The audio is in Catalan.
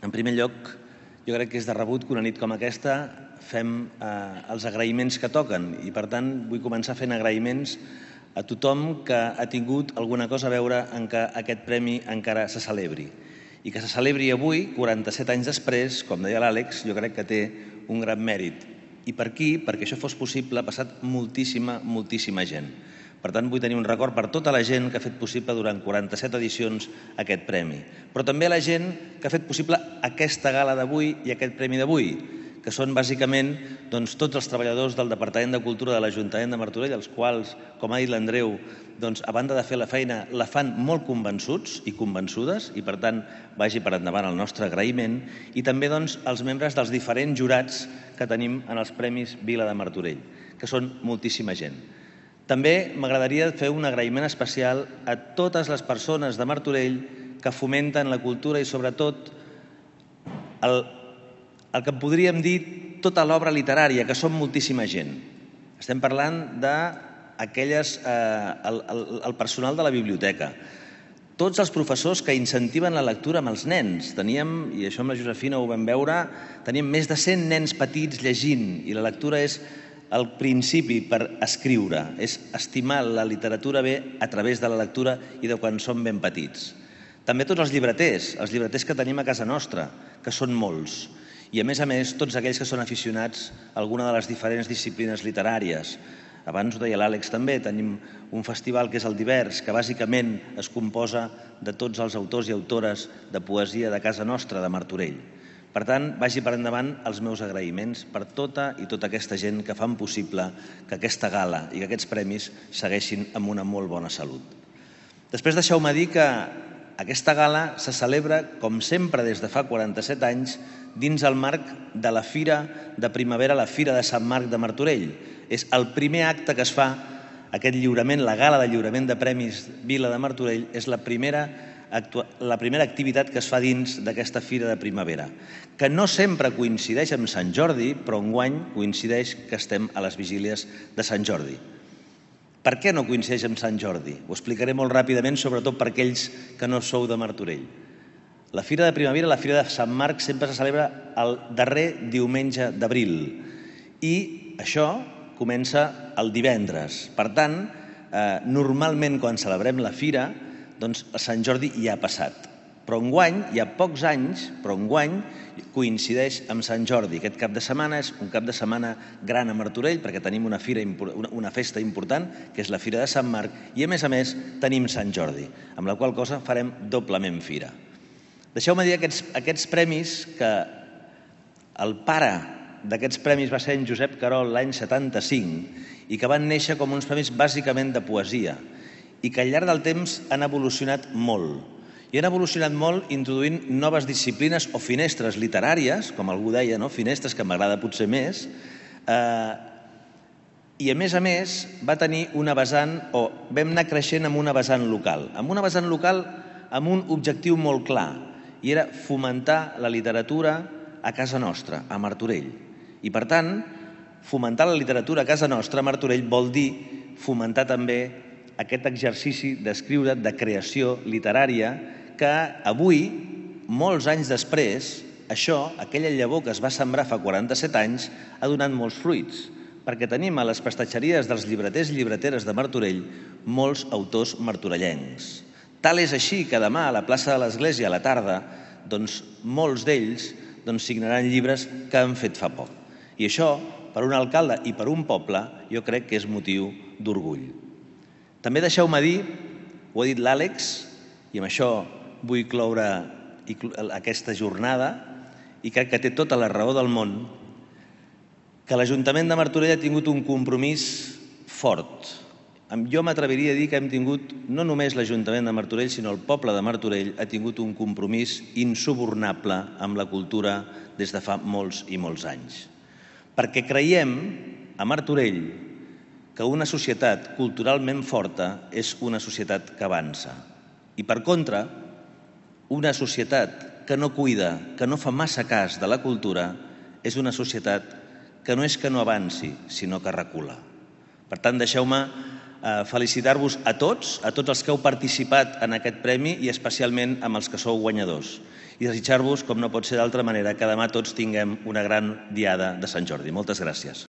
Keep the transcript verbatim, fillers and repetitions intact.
En primer lloc, jo crec que és de rebut que una nit com aquesta fem els agraïments que toquen i, per tant, vull començar fent agraïments a tothom que ha tingut alguna cosa a veure en que aquest premi encara se celebri. I que se celebri avui, quaranta-set anys després, com deia l'Àlex, jo crec que té un gran mèrit. I per qui? Perquè això fos possible ha passat moltíssima, moltíssima gent. Per tant, vull tenir un record per tota la gent que ha fet possible durant quaranta-set edicions aquest premi. Però també la gent que ha fet possible aquesta gala d'avui i aquest premi d'avui, que són bàsicament tots els treballadors del Departament de Cultura de l'Ajuntament de Martorell, els quals, com ha dit l'Andreu, a banda de fer la feina, la fan molt convençuts i convençudes i, per tant, vagi per endavant el nostre agraïment, i també els membres dels diferents jurats que tenim en els Premis Vila de Martorell, que són moltíssima gent. També m'agradaria fer un agraïment especial a totes les persones de Martorell que fomenten la cultura i, sobretot, el el que podríem dir tota l'obra literària, que són moltíssima gent. Estem parlant d'aquelles, el personal de la biblioteca, tots els professors que incentiven la lectura amb els nens. Teníem, i això amb la Josefina ho vam veure, teníem més de cent nens petits llegint, i la lectura és el principi per escriure, és estimar la literatura bé a través de la lectura i de quan som ben petits. També tots els llibreters, els llibreters que tenim a casa nostra, que són molts. I, a més a més, tots aquells que són aficionats a alguna de les diferents disciplines literàries. Abans ho deia l'Àlex també, tenim un festival que és el Divers, que bàsicament es composa de tots els autors i autores de poesia de casa nostra, de Martorell. Per tant, vagi per endavant els meus agraïments per tota i tota aquesta gent que fan possible que aquesta gala i que aquests premis segueixin amb una molt bona salut. Després deixeu-me dir que aquesta gala se celebra, com sempre des de fa quaranta-set anys, dins el marc de la Fira de Primavera, la Fira de Sant Marc de Martorell. És el primer acte que es fa, aquest lliurament, la gala de lliurament de Premis Vila de Martorell, és la primera, la primera activitat que es fa dins d'aquesta Fira de Primavera, que no sempre coincideix amb Sant Jordi, però enguany coincideix que estem a les vigílies de Sant Jordi. Per què no coincideix amb Sant Jordi? Ho explicaré molt ràpidament, sobretot per aquells que no sou de Martorell. La Fira de Primavera, la Fira de Sant Marc, sempre se celebra el darrer diumenge d'abril i això comença el divendres. Per tant, normalment quan celebrem la Fira, doncs Sant Jordi ja ha passat. Però enguany, hi ha pocs anys, però enguany coincideix amb Sant Jordi. Aquest cap de setmana és un cap de setmana gran a Martorell perquè tenim una fira, una festa important, que és la Fira de Sant Marc, i a més a més tenim Sant Jordi, amb la qual cosa farem doblement fira. Deixeu-me dir aquests, aquests premis que el pare d'aquests premis va ser en Josep Querol l'any setanta-cinc i que van néixer com uns premis bàsicament de poesia i que al llarg del temps han evolucionat molt. I han evolucionat molt introduint noves disciplines o finestres literàries, com algú deia, finestres, que m'agrada potser més, i a més a més va tenir una vessant, o vam anar creixent amb una vessant local, amb una vessant local amb un objectiu molt clar, i era fomentar la literatura a casa nostra, a Martorell. I per tant, fomentar la literatura a casa nostra, a Martorell, vol dir fomentar també aquest exercici d'escriure, de creació literària, que avui, molts anys després, això, aquella llavor que es va sembrar fa quaranta-set anys, ha donat molts fruits, perquè tenim a les prestatgeries dels llibreters i llibreteres de Martorell molts autors martorellencs. Tal és així que demà a la plaça de l'Església a la tarda, doncs molts d'ells signaran llibres que han fet fa poc. I això, per un alcalde i per un poble, jo crec que és motiu d'orgull. També deixeu-me dir, ho ha dit l'Àlex, i amb això vull cloure aquesta jornada, i crec que té tota la raó del món, que l'Ajuntament de Martorell ha tingut un compromís fort. Jo m'atreviria a dir que hem tingut, no només l'Ajuntament de Martorell, sinó el poble de Martorell ha tingut un compromís insubornable amb la cultura des de fa molts i molts anys. Perquè creiem a Martorell que una societat culturalment forta és una societat que avança. I per contra, una societat que no cuida, que no fa massa cas de la cultura, és una societat que no és que no avanci, sinó que recula. Per tant, deixeu-me felicitar-vos a tots, a tots els que heu participat en aquest premi i especialment amb els que sou guanyadors. i desitjar-vos, com no pot ser d'altra manera, que demà tots tinguem una gran diada de Sant Jordi. Moltes gràcies.